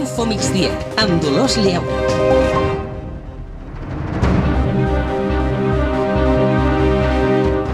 Info Migdia, amb Dolors Lleu.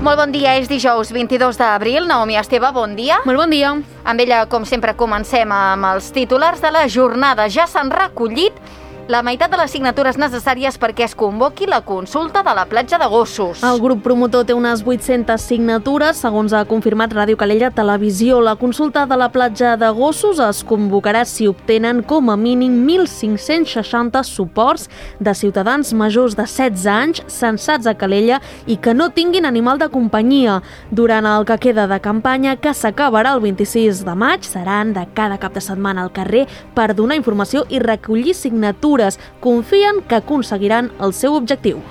Molt bon dia, és dijous 22 d'abril. Naomi Esteve, bon dia. Molt bon dia. Amb ella, com sempre, comencem amb els titulars de la jornada. Ja s'han recollit la meitat de les signatures necessàries perquè es convoqui la consulta de la platja de Gossos. El grup promotor té unes 800 signatures, segons ha confirmat Ràdio Calella Televisió. La consulta de la platja de Gossos es convocarà si obtenen com a mínim 1.560 suports de ciutadans majors de 16 anys censats a Calella i que no tinguin animal de companyia. Durant el que queda de campanya, que s'acabarà el 26 de maig, seran de cada cap de setmana al carrer per donar informació i recollir signatures. Confien que aconseguiran el seu objectiu.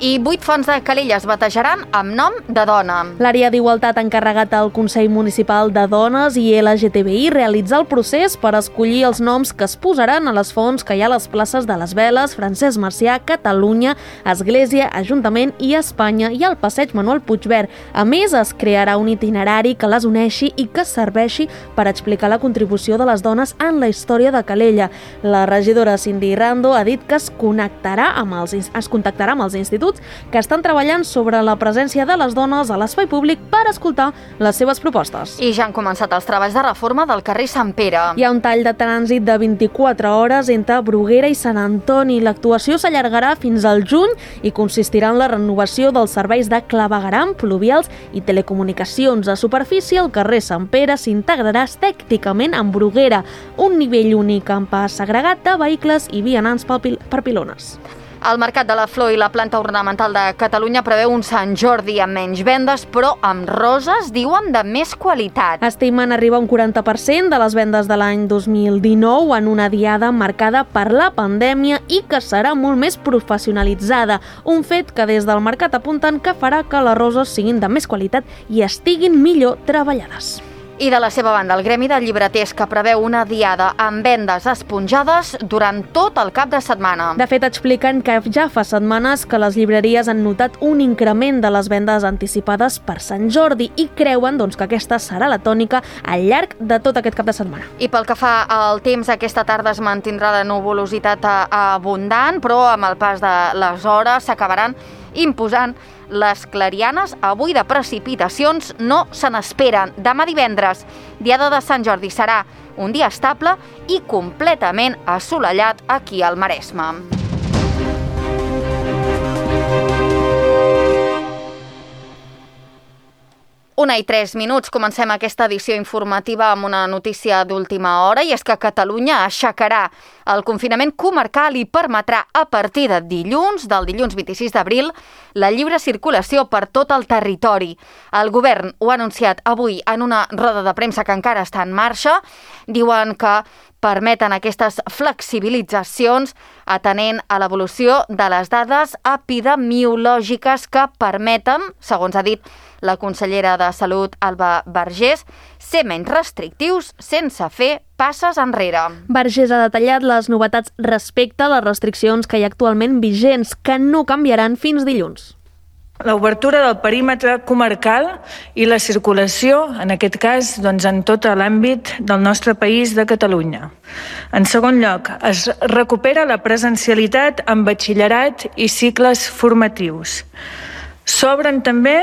I 8 fonts de Calella es batejaran amb nom de dona. L'àrea d'Igualtat ha encarregat al Consell Municipal de Dones i LGTBI realitzar el procés per escollir els noms que es posaran a les fonts que hi ha a les places de les Veles, Francesc Macià, Catalunya, Església, Ajuntament i Espanya i al passeig Manuel Puigverd. A més, es crearà un itinerari que les uneixi i que serveixi per explicar la contribució de les dones en la història de Calella. La regidora Cindy Rando ha dit que es contactarà amb els instituts que estan treballant sobre la presència de les dones a l'espai públic per escoltar les seves propostes. I ja han començat els treballs de reforma del carrer Sant Pere. Hi ha un tall de trànsit de 24 hores entre Bruguera i Sant Antoni. L'actuació s'allargarà fins al juny i consistirà en la renovació dels serveis de clavegueram, pluvials i telecomunicacions. A superfície, el carrer Sant Pere s'integrarà estèticament amb Bruguera, un nivell únic amb pas segregat de vehicles i vianants per pilones. El Mercat de la Flor i la Planta Ornamental de Catalunya preveu un Sant Jordi amb menys vendes, però amb roses, diuen, de més qualitat. Estimen arribar a un 40% de les vendes de l'any 2019 en una diada marcada per la pandèmia i que serà molt més professionalitzada. Un fet que des del mercat apunten que farà que les roses siguin de més qualitat i estiguin millor treballades. I de la seva banda, el Gremi de Llibreters, que preveu una diada amb vendes esponjades durant tot el cap de setmana. De fet, expliquen que ja fa setmanes que les llibreries han notat un increment de les vendes anticipades per Sant Jordi i creuen que aquesta serà la tònica al llarg de tot aquest cap de setmana. I pel que fa al temps, aquesta tarda es mantindrà de nuvolositat abundant, però amb el pas de les hores s'acabaran imposant les clarianes. Avui de precipitacions no se n'esperen. Demà divendres, diada de Sant Jordi, serà un dia estable i completament assolellat aquí al Maresme. Una i 3 minuts, comencem aquesta edició informativa amb una notícia d'última hora, i és que Catalunya aixecarà el confinament comarcal i permetrà a partir de dilluns, del dilluns 26 d'abril, la lliure circulació per tot el territori. El govern ho ha anunciat avui en una roda de premsa que encara està en marxa. Diuen que permeten aquestes flexibilitzacions atenent a l'evolució de les dades epidemiològiques que permeten, segons ha dit la consellera de Salut, Alba Vergés, ser menys restrictius sense fer passes enrere. Vergés ha detallat les novetats respecte a les restriccions que hi ha actualment vigents, que no canviaran fins dilluns. L'obertura del perímetre comarcal i la circulació, en aquest cas, en tot l'àmbit del nostre país de Catalunya. En segon lloc, es recupera la presencialitat en batxillerat i cicles formatius. S'obren també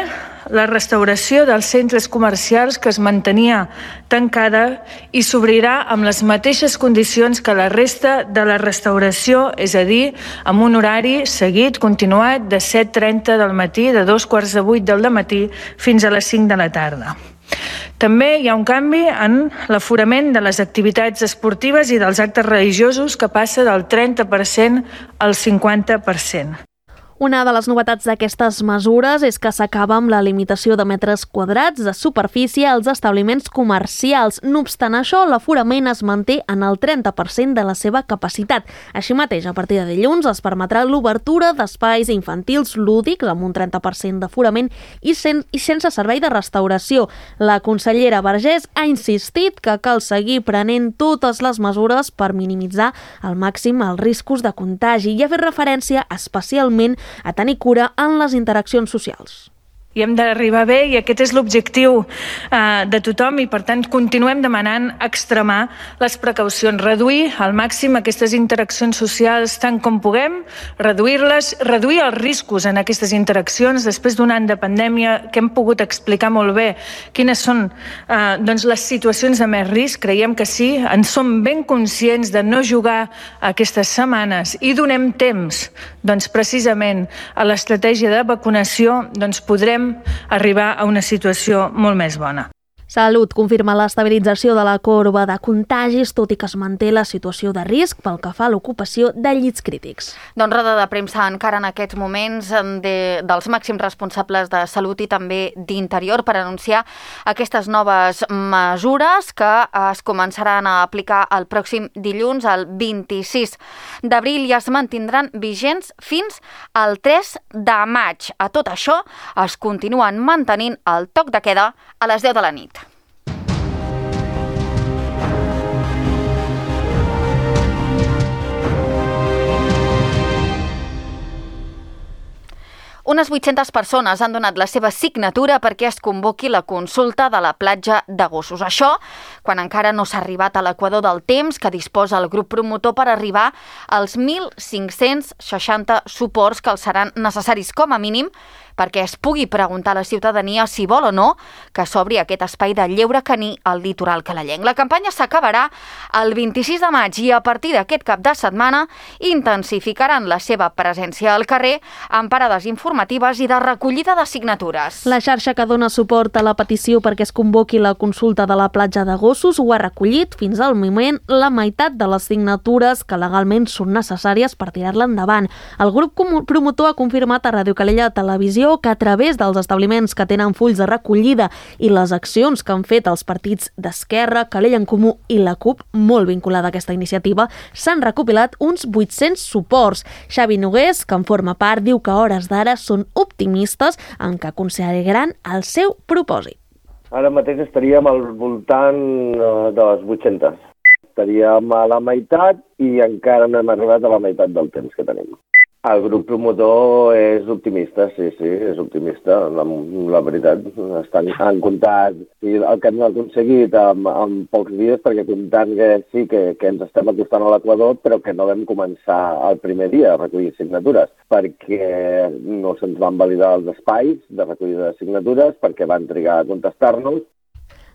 la restauració dels centres comercials que es mantenia tancada i s'obrirà amb les mateixes condicions que la resta de la restauració, és a dir, amb un horari seguit, continuat, de 7:30 del matí, de 7:45 del matí fins a les 5 de la tarda. També hi ha un canvi en l'aforament de les activitats esportives i dels actes religiosos que passa del 30% al 50%. Una de les novetats d'aquestes mesures és que s'acaba amb la limitació de metres quadrats de superfície als establiments comercials. No obstant això, l'aforament es manté en el 30% de la seva capacitat. Així mateix, a partir de dilluns es permetrà l'obertura d'espais infantils lúdics amb un 30% d'aforament i sense servei de restauració. La consellera Vergés ha insistit que cal seguir prenent totes les mesures per minimitzar al màxim els riscos de contagi i ha fet referència especialment a tenir cura en les interaccions socials. i hem d'arribar bé, i aquest és l'objectiu de tothom, i per tant continuem demanant extremar les precaucions, reduir al màxim aquestes interaccions socials tant com puguem, reduir-les, reduir els riscos en aquestes interaccions. Després d'un any de pandèmia que hem pogut explicar molt bé quines són les situacions de més risc, creiem que sí, en som ben conscients de no jugar aquestes setmanes i donem temps precisament a l'estratègia de vacunació, podrem arribar a una situació molt més bona. Salut confirma l'estabilització de la corba de contagis, tot i que es manté la situació de risc pel que fa a l'ocupació de llits crítics. Doncs roda de premsa encara en aquests moments dels màxims responsables de Salut i també d'Interior per anunciar aquestes noves mesures que es començaran a aplicar el pròxim dilluns, el 26 d'abril, i es mantindran vigents fins al 3 de maig. A tot això es continuen mantenint el toc de queda a les 10 de la nit. Unes 800 persones han donat la seva signatura perquè es convoqui la consulta de la platja de gossos. Això quan encara no s'ha arribat a l'equador del temps que disposa el grup promotor per arribar als 1.560 suports que els seran necessaris com a mínim perquè es pugui preguntar a la ciutadania si vol o no que s'obri aquest espai de lleure caní al litoral canalenc. La campanya s'acabarà el 26 de maig i a partir d'aquest cap de setmana intensificaran la seva presència al carrer amb parades informatives i de recollida de signatures. La xarxa que dona suport a la petició perquè es convoqui la consulta de la platja de gossos ho ha recollit fins al moment la meitat de les signatures que legalment són necessàries per tirar-la endavant. El grup promotor ha confirmat a Ràdio Calella Televisió que a través dels establiments que tenen fulls de recollida i les accions que han fet els partits d'Esquerra, Calella en Comú i la CUP, molt vinculada a aquesta iniciativa, s'han recopilat uns 800 suports. Xavi Nogués, que en forma part, diu que a hores d'ara són optimistes en que aconseguiran el seu propòsit. Ara mateix estaríem al voltant de les 800. Estaríem a la meitat i encara no hem arribat a la meitat del temps que tenim. El grup promotor és optimista, sí, és optimista, la veritat. Han comptat el que hem aconseguit en pocs dies, perquè comptant que sí que ens estem acostant a l'equador, però que no vam començar el primer dia a recollir signatures, perquè no se'ns van validar els espais de recollida de signatures, perquè van trigar a contestar-nos.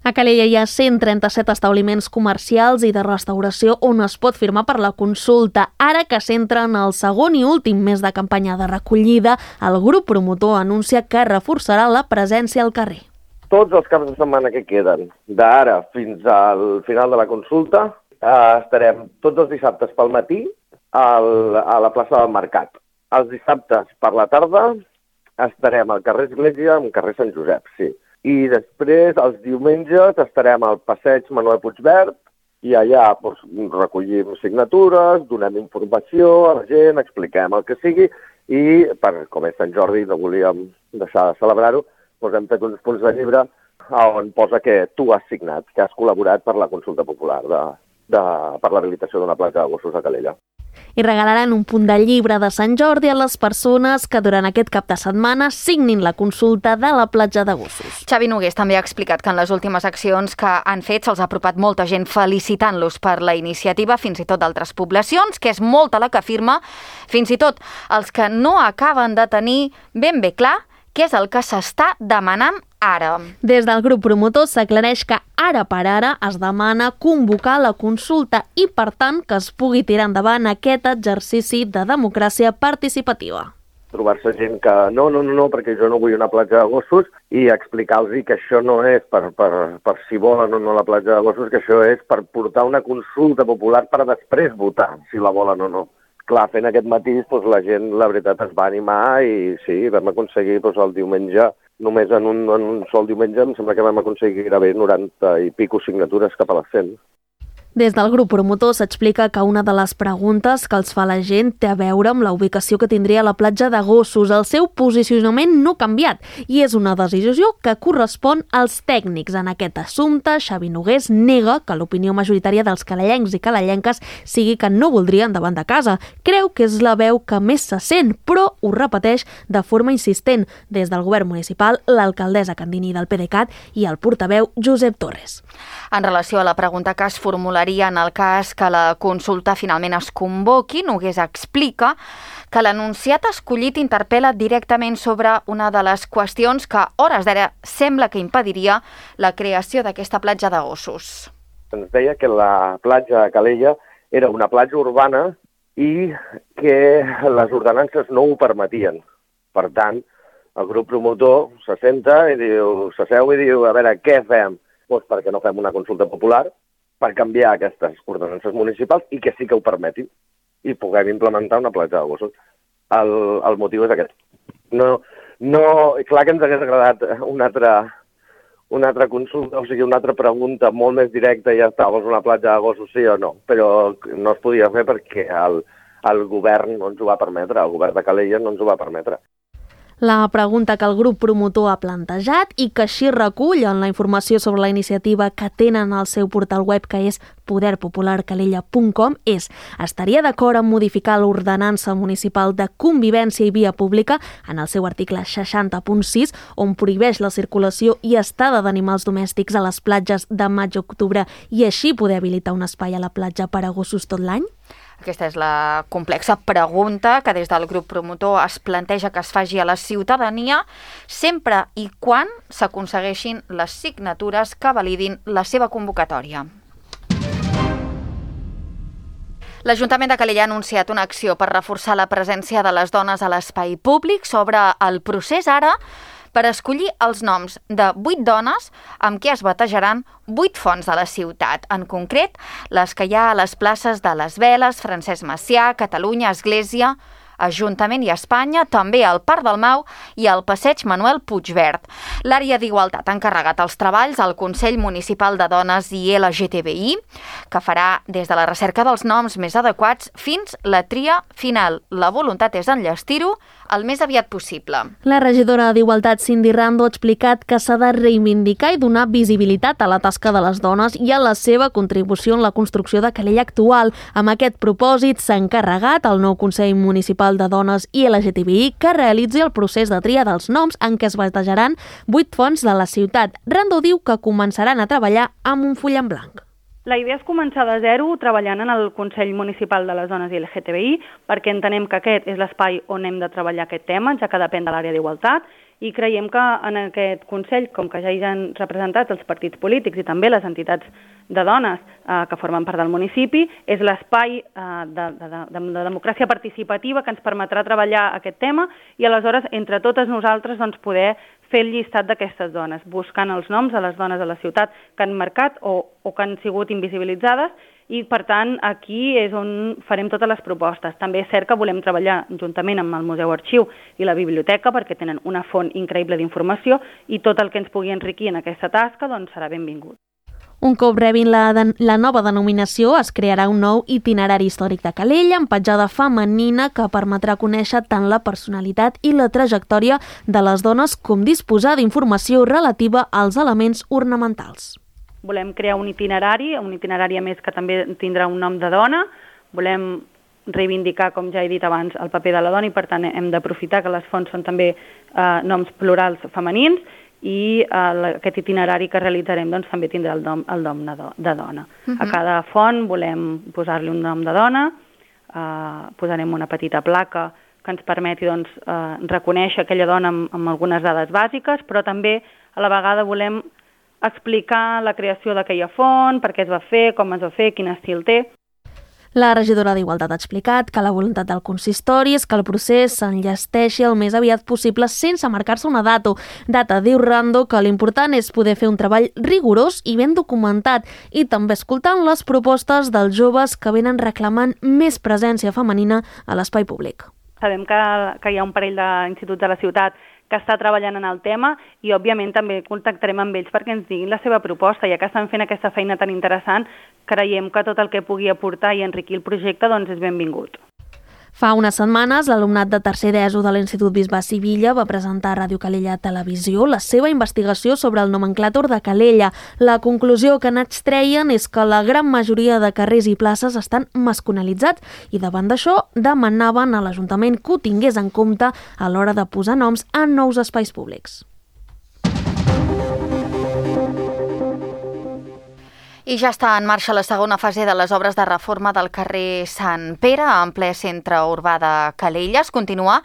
A Calella hi ha 137 establiments comercials i de restauració on es pot firmar per la consulta. Ara que s'entra en el segon i últim mes de campanya de recollida, el grup promotor anuncia que reforçarà la presència al carrer. Tots els caps de setmana que queden, d'ara fins al final de la consulta, estarem tots els dissabtes pel matí a la plaça del Mercat. Els dissabtes per la tarda estarem al carrer Església, al carrer Sant Josep, sí. I després, els diumenges, estarem al passeig Manuel Puigverd i allà recollim signatures, donem informació a la gent, expliquem el que sigui i, com és Sant Jordi, no volíem deixar de celebrar-ho, hem fet uns punts de llibre on posa que tu has signat, que has col·laborat per la consulta popular per la rehabilitació d'una platja de gossos a Calella. I regalaran un punt de llibre de Sant Jordi a les persones que durant aquest cap de setmana signin la consulta de la platja de gossos. Xavi Nogués també ha explicat que en les últimes accions que han fet se'ls ha apropat molta gent felicitant-los per la iniciativa, fins i tot d'altres poblacions, que és molta la que afirma, fins i tot els que no acaben de tenir ben bé clar què és el que s'està demanant ara. Des del grup promotor s'aclareix que ara per ara es demana convocar la consulta i, per tant, que es pugui tirar endavant aquest exercici de democràcia participativa. Trobar-se gent que no, perquè jo no vull una platja de gossos i explicar-los que això no és per si volen o no la platja de gossos, que això és per portar una consulta popular per després votar si la volen o no. Clar, fent aquest matís, la gent, la veritat, es va animar i sí, vam aconseguir el diumenge, només en un sol diumenge, em sembla que vam aconseguir gairebé 90 i pico signatures cap a les 100. Des del grup promotor s'explica que una de les preguntes que els fa la gent té a veure amb la ubicació que tindria la platja de Gossos. El seu posicionament no ha canviat i és una decisió que correspon als tècnics. En aquest assumpte, Xavi Nogués nega que l'opinió majoritària dels calellencs i calellenques sigui que no voldrien davant de casa. Creu que és la veu que més se sent, però ho repeteix de forma insistent des del govern municipal, l'alcaldessa Candini del PDeCAT i el portaveu Josep Torres. En relació a la pregunta que es formularia en el cas que la consulta finalment es convoqui, Nogués explica que l'anunciat escollit interpel·la directament sobre una de les qüestions que, a hores d'ara, sembla que impediria la creació d'aquesta platja de Gossos. Ens deia que la platja de Calella era una platja urbana i que les ordenances no ho permetien. Per tant, el grup promotor s'asseu i diu, a veure, què fem? Doncs perquè no fem una consulta popular per canviar aquestes ordenances municipals i que sí que ho permetin i puguem implementar una platja de Gossos. El motiu és aquest. Clar que ens hagués agradat una altra consulta, o sigui, una altra pregunta molt més directa i ja està, vols una platja de Gossos sí o no? Però no es podia fer perquè el govern no ens ho va permetre, el govern de Calella no ens ho va permetre. La pregunta que el grup promotor ha plantejat i que així recull en la informació sobre la iniciativa que tenen al seu portal web, que és poderpopularcalella.com, és: estaria d'acord en modificar l'ordenança municipal de convivència i via pública en el seu article 60.6, on prohibeix la circulació i estada d'animals domèstics a les platges de maig a octubre i així poder habilitar un espai a la platja per a gossos tot l'any? Aquesta és la complexa pregunta que des del grup promotor es planteja que es faci a la ciutadania sempre i quan s'aconsegueixin les signatures que validin la seva convocatòria. L'Ajuntament de Calella ha anunciat una acció per reforçar la presència de les dones a l'espai públic. Sobre el procés ara per escollir els noms de 8 dones amb què es batejaran 8 fonts de la ciutat, en concret les que hi ha a les places de les Veles, Francesc Macià, Catalunya, Església, Ajuntament i Espanya, també al Parc del Mau i al Passeig Manuel Puigverd. L'àrea d'Igualtat ha encarregat els treballs al Consell Municipal de Dones i LGTBI, que farà des de la recerca dels noms més adequats fins la tria final. La voluntat és enllestir-ho el més aviat possible. La regidora d'Igualtat, Cindy Rando, ha explicat que s'ha de reivindicar i donar visibilitat a la tasca de les dones i a la seva contribució en la construcció de Calella actual. Amb aquest propòsit s'ha encarregat al nou Consell Municipal de Dones i LGTBI que realitzi el procés de tria dels noms en què es batejaran 8 fonts de la ciutat. Rando diu que començaran a treballar amb un full en blanc. La idea és començar de zero treballant en el Consell Municipal de les Dones i LGTBI perquè entenem que aquest és l'espai on hem de treballar aquest tema, ja que depèn de l'àrea d'igualtat, i creiem que en aquest Consell, com que ja hi han representats els partits polítics i també les entitats de dones que formen part del municipi, és l'espai de democràcia participativa que ens permetrà treballar aquest tema i aleshores entre totes nosaltres poder fer el llistat d'aquestes dones, buscant els noms de les dones de la ciutat que han marcat o que han sigut invisibilitzades i, per tant, aquí és on farem totes les propostes. També és cert que volem treballar juntament amb el Museu Arxiu i la Biblioteca perquè tenen una font increïble d'informació i tot el que ens pugui enriquir en aquesta tasca serà benvingut. Un cop rebin la nova denominació, es crearà un nou itinerari històric de Calella amb petjada femenina que permetrà conèixer tant la personalitat i la trajectòria de les dones com disposar d'informació relativa als elements ornamentals. Volem crear un itinerari a més que també tindrà un nom de dona. Volem reivindicar, com ja he dit abans, el paper de la dona i per tant hem d'aprofitar que les fonts són també noms plurals femenins i aquest itinerari que realitzarem també tindrà el nom de dona. A cada font volem posar-li un nom de dona, posarem una petita placa que ens permeti reconèixer aquella dona amb algunes dades bàsiques, però també a la vegada volem explicar la creació d'aquella font, per què es va fer, com es va fer, quin estil té. La regidora d'Igualtat ha explicat que la voluntat del consistori és que el procés s'enllesteixi el més aviat possible sense marcar-se una data. Diu Rando que l'important és poder fer un treball rigorós i ben documentat i també escoltant les propostes dels joves que venen reclamant més presència femenina a l'espai públic. Sabem que hi ha un parell d'instituts de la ciutat que està treballant en el tema i, òbviament, també contactarem amb ells perquè ens diguin la seva proposta. Ja que estan fent aquesta feina tan interessant, creiem que tot el que pugui aportar i enriquir el projecte doncs, és benvingut. Fa unes setmanes, l'alumnat de tercer d'ESO de l'Institut Bisbe Sivilla va presentar a Ràdio Calella Televisió la seva investigació sobre el nomenclàtor de Calella. La conclusió que n'extreien és que la gran majoria de carrers i places estan masculinitzats i davant d'això demanaven a l'Ajuntament que ho tingués en compte a l'hora de posar noms a nous espais públics. I ja està en marxa la segona fase de les obres de reforma del carrer Sant Pere, en ple centre urbà de Calella. Es continua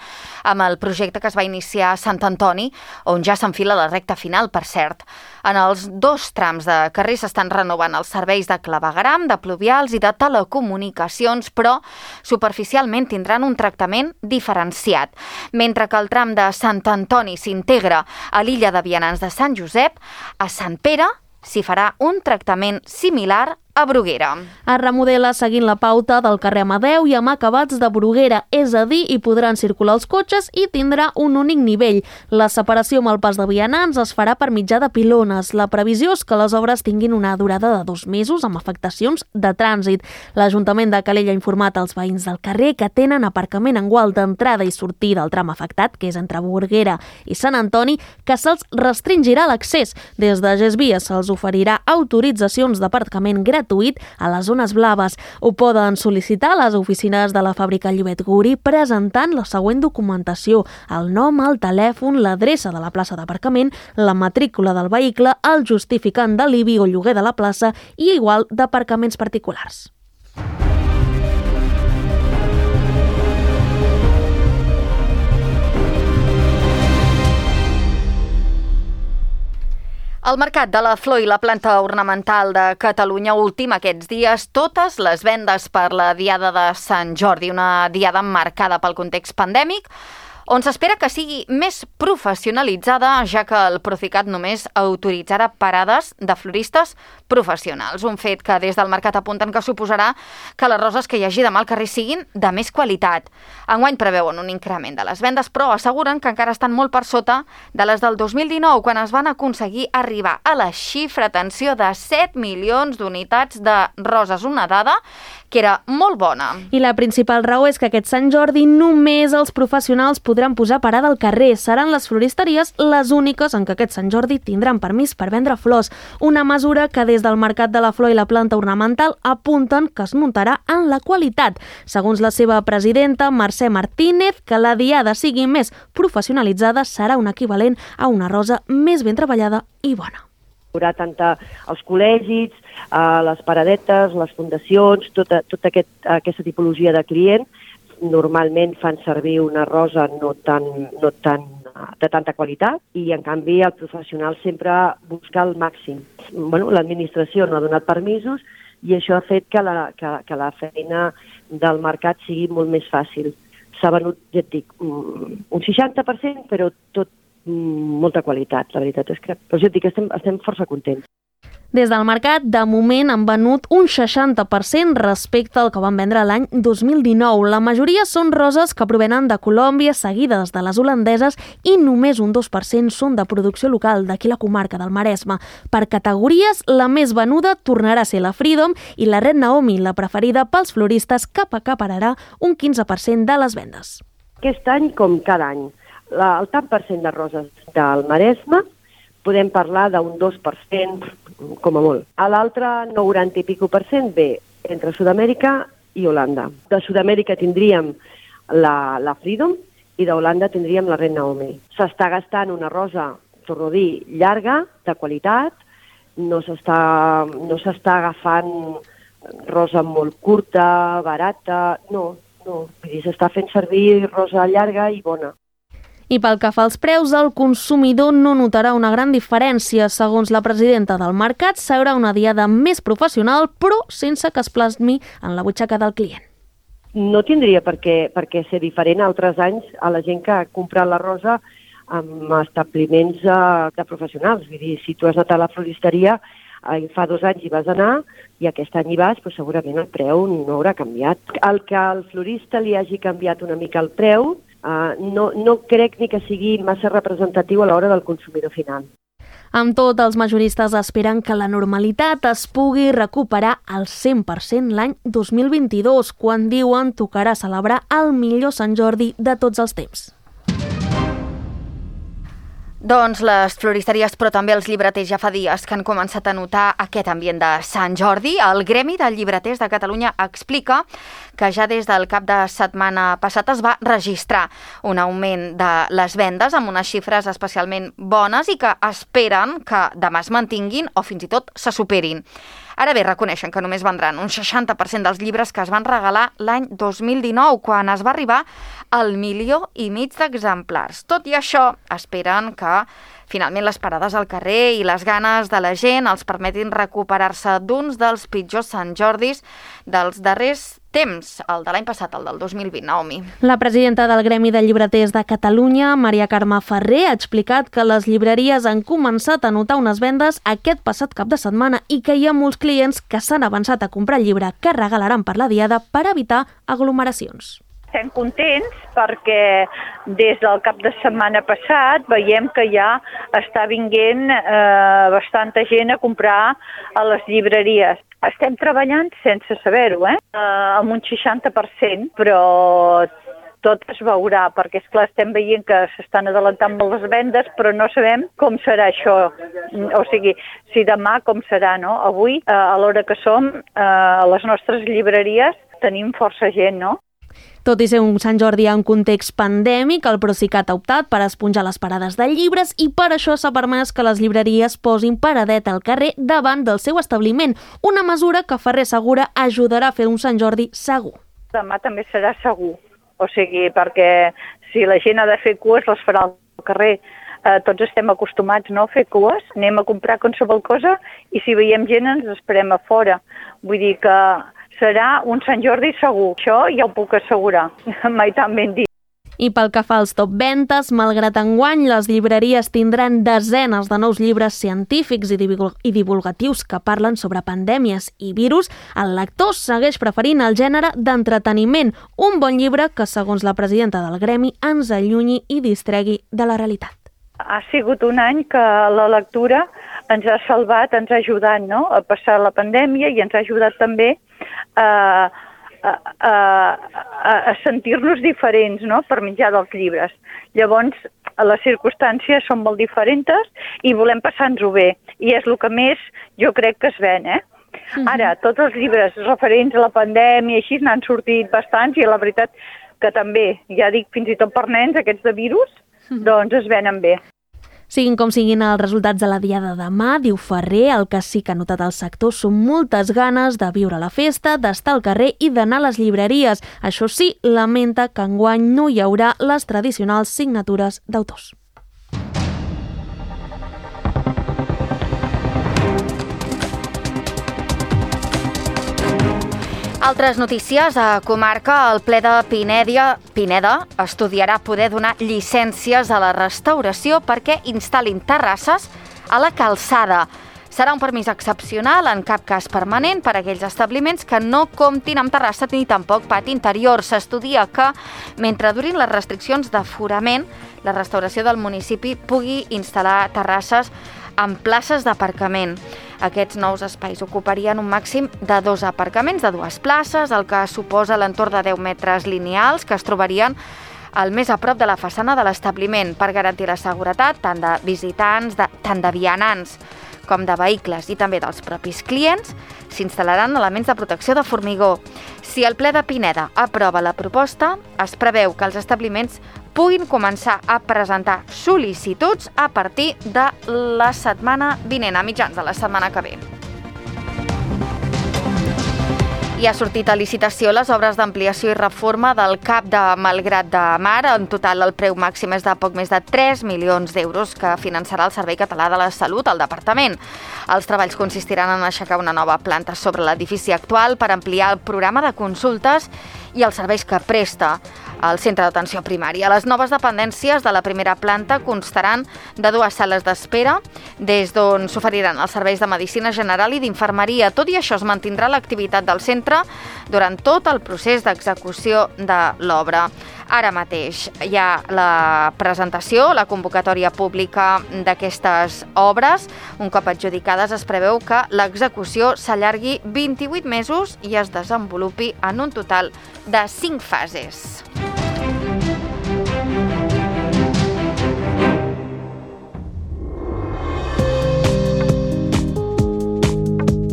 amb el projecte que es va iniciar a Sant Antoni, on ja s'enfila la recta final, per cert. En els 2 trams de carrer s'estan renovant els serveis de clavegueram, de pluvials i de telecomunicacions, però superficialment tindran un tractament diferenciat. Mentre que el tram de Sant Antoni s'integra a l'illa de Vianants de Sant Josep, a Sant Pere s'hi farà un tractament similar a Bruguera. Es remodela seguint la pauta del carrer Amadeu i amb acabats de Bruguera, és a dir, hi podran circular els cotxes i tindrà un únic nivell. La separació amb el pas de vianants es farà per mitjà de pilones. La previsió és que les obres tinguin una durada de 2 mesos amb afectacions de trànsit. L'Ajuntament de Calella ha informat als veïns del carrer que tenen aparcament en gual d'entrada i sortida del tram afectat, que és entre Bruguera i Sant Antoni, que se'ls restringirà l'accés. Des de GESVIA se'ls oferirà autoritzacions d'aparcament gratuït a les zones blaves. Ho poden sol·licitar a les oficines de la fàbrica Llobet Guri presentant la següent documentació: el nom, el telèfon, l'adreça de la plaça d'aparcament, la matrícula del vehicle, el justificant de l'IBI o lloguer de la plaça i igual d'aparcaments particulars. El mercat de la flor i la planta ornamental de Catalunya ultima aquests dies totes les vendes per la Diada de Sant Jordi, una diada marcada pel context pandèmic, on s'espera que sigui més professionalitzada, ja que el Procicat només autoritzarà parades de floristes professionals. Un fet que des del mercat apunten que suposarà que les roses que hi hagi demà al carrer siguin de més qualitat. Enguany preveuen un increment de les vendes, però asseguren que encara estan molt per sota de les del 2019, quan es van aconseguir arribar a la xifra, atenció, de 7 milions d'unitats de roses, una dada que era molt bona. I la principal raó és que aquest Sant Jordi només els professionals podran posar parada al carrer. Seran les floristeries les úniques en què aquest Sant Jordi tindran permís per vendre flors. Una mesura que des del mercat de la flor i la planta ornamental apunten que es notarà en la qualitat. Segons la seva presidenta, Mercè Martínez, que la diada sigui més professionalitzada serà un equivalent a una rosa més ben treballada i bona. Hi haurà tant els col·legis, les paradetes, les fundacions, tota aquesta tipologia de client. Normalment fan servir una rosa no tan de tanta qualitat i, en canvi, el professional sempre busca el màxim. L'administració no ha donat permisos i això ha fet que la feina del mercat sigui molt més fàcil. S'ha venut, ja et dic, un 60%, però tot molta qualitat. La veritat és que, però ja et dic, estem força contents. Des del mercat, de moment, han venut un 60% respecte al que van vendre l'any 2019. La majoria són roses que provenen de Colòmbia, seguides de les holandeses, i només un 2% són de producció local, d'aquí la comarca del Maresme. Per categories, la més venuda tornarà a ser la Freedom i la Red Naomi, la preferida pels floristes, que acapararà un 15% de les vendes. Aquest any, com cada any, el tant per cent de roses del Maresme podem parlar d'un 2%, com a molt. A l'altre, 90 i pico % ve entre Sud-amèrica i Holanda. De Sud-amèrica tindríem la Freedom i d'Holanda tindríem la Red Naomi. S'està gastant una rosa, torno a dir, llarga, de qualitat, no s'està agafant rosa molt curta, barata, no. Vull dir, s'està fent servir rosa llarga i bona. I pel que fa als preus, el consumidor no notarà una gran diferència. Segons la presidenta del mercat, serà una diada més professional, però sense que es plasmi en la butxaca del client. No tindria per què ser diferent altres anys a la gent que ha comprat la rosa en establiments de professionals. Vull dir, si tu has anat a la floristeria, fa 2 anys hi vas anar i aquest any hi vas, però segurament el preu no haurà canviat. El que al florista li hagi canviat una mica el preu no crec ni que sigui massa representatiu a l'hora del consumidor final. Amb tot, els majoristes esperen que la normalitat es pugui recuperar al 100% l'any 2022, quan diuen tocarà celebrar el millor Sant Jordi de tots els temps. Doncs les floristeries, però també els llibreters ja fa dies que han començat a notar aquest ambient de Sant Jordi. El Gremi de Llibreters de Catalunya explica que ja des del cap de setmana passat es va registrar un augment de les vendes amb unes xifres especialment bones i que esperen que demà es mantinguin o fins i tot se superin. Ara bé, reconeixen que només vendran un 60% dels llibres que es van regalar l'any 2019, quan es va arribar al 1,5 milió d'exemplars. Tot i això, esperen que finalment les parades al carrer i les ganes de la gent els permetin recuperar-se d'uns dels pitjors Sant Jordis dels darrers temps, el de l'any passat, el del 2020, Naomi. La presidenta del Gremi de Llibreters de Catalunya, Maria Carme Ferrer, ha explicat que les llibreries han començat a notar unes vendes aquest passat cap de setmana i que hi ha molts clients que s'han avançat a comprar el llibre que regalaran per la diada per evitar aglomeracions. Estem contents perquè des del cap de setmana passat veiem que ja està vinguent bastanta gent a comprar a les llibreries. Estem treballant sense saber-ho, amb un 60%, però tot es veurà, perquè esclar estem veient que s'estan adelantant molt les vendes, però no sabem com serà això, o sigui, si demà com serà, no? Avui, a l'hora que som, a les nostres llibreries tenim força gent, no? Tot i ser un Sant Jordi en context pandèmic, el Procicat ha optat per esponjar les parades de llibres i per això s'ha permès que les llibreries posin paradeta al carrer davant del seu establiment, una mesura que Ferrer assegura ajudarà a fer un Sant Jordi segur. Demà també serà segur, o sigui, perquè si la gent ha de fer cues, les farà al carrer. Tots estem acostumats, no?, a fer cues, anem a comprar qualsevol cosa i si veiem gent ens esperem a fora. Vull dir que serà un Sant Jordi segur. Això ja ho puc assegurar, mai tan ben dit. I pel que fa als top ventes, malgrat enguany les llibreries tindran desenes de nous llibres científics i divulgatius que parlen sobre pandèmies i virus, el lector segueix preferint el gènere d'entreteniment, un bon llibre que, segons la presidenta del gremi, ens allunyi i distregui de la realitat. Ha sigut un any que la lectura ens ha salvat, ens ha ajudat, no?, a passar la pandèmia i ens ha ajudat també a sentir-nos diferents, no?, per mitjà dels llibres. Llavors, les circumstàncies són molt diferents i volem passar-nos-ho bé. I és el que més jo crec que es ven, Ara, tots els llibres referents a la pandèmia així n'han sortit bastants i la veritat que també, ja dic, fins i tot per nens, aquests de virus, doncs es venen bé. Siguin com siguin els resultats de la diada de demà, diu Ferrer, el que sí que ha notat el sector són moltes ganes de viure la festa, d'estar al carrer i d'anar a les llibreries. Això sí, lamenta que enguany no hi haurà les tradicionals signatures d'autors. Altres notícies. A comarca, el ple de Pineda estudiarà poder donar llicències a la restauració perquè instal·lin terrasses a la calçada. Serà un permís excepcional, en cap cas permanent, per a aquells establiments que no comptin amb terrassa ni tampoc pati interior. S'estudia que, mentre durin les restriccions d'aforament, la restauració del municipi pugui instal·lar terrasses en places d'aparcament. Aquests nous espais ocuparien un màxim de 2 aparcaments de 2 places, el que suposa l'entorn de 10 metres lineals que es trobarien al més a prop de la façana de l'establiment per garantir la seguretat tant de visitants, tant de vianants com de vehicles i també dels propis clients. S'instal·laran elements de protecció de formigó. Si el ple de Pineda aprova la proposta, es preveu que els establiments puguin començar a presentar sol·licituds a partir de la setmana vinent, a mitjans de la setmana que ve. I ha sortit a licitació les obres d'ampliació i reforma del CAP de Malgrat de Mar. En total, el preu màxim és de poc més de 3 milions d'euros que finançarà el Servei Català de la Salut al departament. Els treballs consistiran en aixecar una nova planta sobre l'edifici actual per ampliar el programa de consultes i els serveis que presta al centre d'atenció primària. Les noves dependències de la primera planta constaran de 2 sales d'espera, des d'on s'oferiran els serveis de medicina general i d'infermeria. Tot i això, es mantindrà l'activitat del centre centre durant tot el procés d'execució de l'obra. Ara mateix hi ha la presentació, la convocatòria pública d'aquestes obres. Un cop adjudicades, es preveu que l'execució s'allargui 28 mesos i es desenvolupi en un total de 5 fases.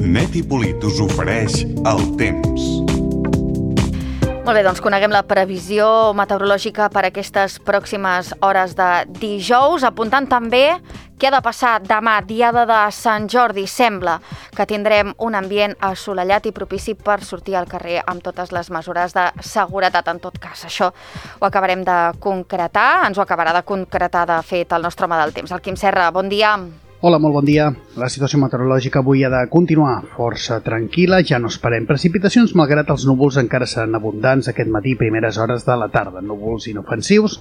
Net i Polit us ofereix el temps. Molt bé, doncs coneguem la previsió meteorològica per aquestes pròximes hores de dijous, apuntant també què ha de passar demà, diada de Sant Jordi. Sembla que tindrem un ambient assolellat i propici per sortir al carrer amb totes les mesures de seguretat. En tot cas, això ho acabarem de concretar, ens ho acabarà de concretar, de fet, el nostre home del temps. El Quim Serra, bon dia. Hola, molt bon dia. La situació meteorològica avui ha de continuar força tranquil·la, ja no esperem precipitacions, malgrat els núvols encara seran abundants aquest matí i primeres hores de la tarda. Núvols inofensius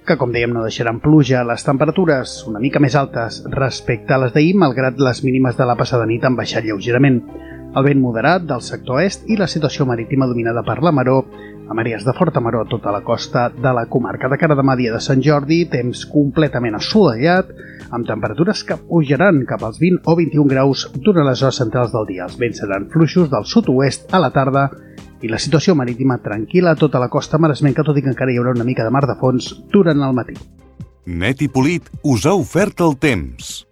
que, com dèiem, no deixaran pluja. Les temperatures una mica més altes respecte a les d'ahir, malgrat les mínimes de la passada nit han baixat lleugerament. El vent moderat del sector est i la situació marítima dominada per la maror, amb àrees de forta maror a tota la costa de la comarca. De cara a demà, dia de Sant Jordi, temps completament assolellat, amb temperatures que pujaran cap als 20 o 21 graus durant les hores centrals del dia. Els vents seran fluixos del sud-oest a la tarda i la situació marítima tranquil·la a tota la costa maresmenca, tot i que encara hi haurà una mica de mar de fons durant el matí. Net i Polit us ha ofert el temps.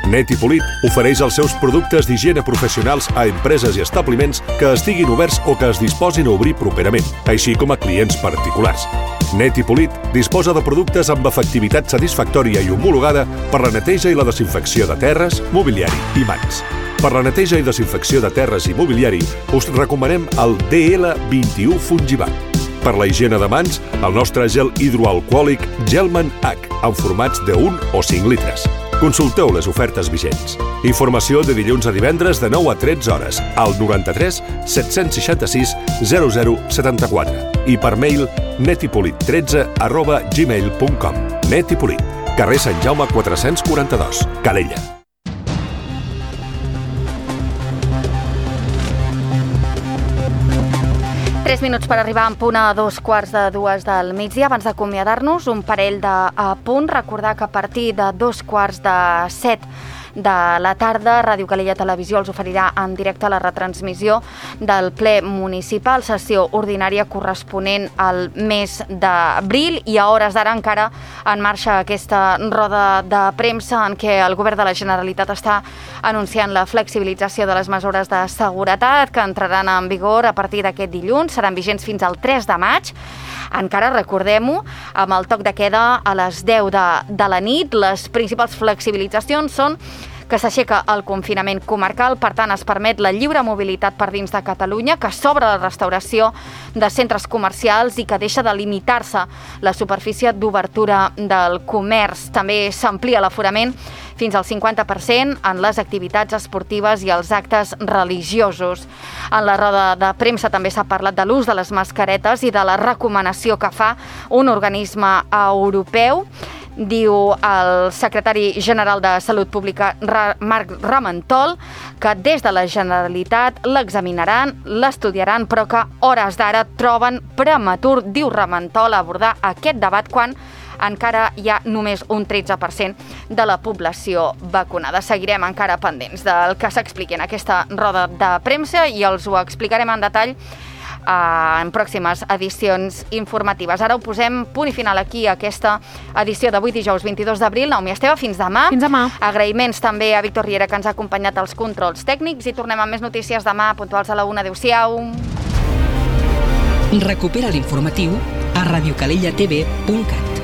Net i Polit ofereix els seus productes d'higiene professionals a empreses i establiments que estiguin oberts o que es disposin a obrir properament, així com a clients particulars. Net i Polit disposa de productes amb efectivitat satisfactòria i homologada per la neteja i la desinfecció de terres, mobiliari i mans. Per la neteja i desinfecció de terres i mobiliari us recomanem el DL21 Fungibat. Per la higiene de mans, el nostre gel hidroalcohòlic Gelman H, en formats de 1 o 5 litres. Consulteu les ofertes vigents. Informació de dilluns a divendres de 9 a 13 hores al 93 766 0074 i per mail netipolit13@gmail.com. Net i Polit, carrer Sant Jaume 442, Calella. Tres minuts per arribar en punt a 2:45 del migdia. Abans d'acomiadar-nos, un parell d'apunts. Recordar que a partir de 2:45 de la tarda, Ràdio Calella Televisió els oferirà en directe la retransmissió del ple municipal, sessió ordinària corresponent al mes d'abril, i a hores d'ara encara en marxa aquesta roda de premsa en què el govern de la Generalitat està anunciant la flexibilització de les mesures de seguretat que entraran en vigor a partir d'aquest dilluns, seran vigents fins al 3 de maig. Encara, recordem-ho, amb el toc de queda a les 10 de la nit. Les principals flexibilitzacions són que s'aixeca el confinament comarcal, per tant es permet la lliure mobilitat per dins de Catalunya, que s'obre la restauració de centres comercials i que deixa de limitar-se la superfície d'obertura del comerç. També s'amplia l'aforament fins al 50% en les activitats esportives i els actes religiosos. En la roda de premsa també s'ha parlat de l'ús de les mascaretes i de la recomanació que fa un organisme europeu. Diu el secretari general de Salut Pública, Marc Ramentol, que des de la Generalitat l'examinaran, l'estudiaran, però que hores d'ara troben prematur, diu Ramentol, abordar aquest debat quan encara hi ha només un 13% de la població vacunada. Seguirem encara pendents del que s'expliqui en aquesta roda de premsa i els ho explicarem en detall en pròximes edicions informatives. Ara ho posem punt i final aquí a aquesta edició d'avui, dijous 22 d'abril. Naomi Esteve, fins demà. Fins demà. Agraïments també a Víctor Riera, que ens ha acompanyat als controls tècnics, i tornem amb més notícies demà, puntuals a la 1. Adéu-siau. Recupera l'informatiu a radiocalellatv.cat.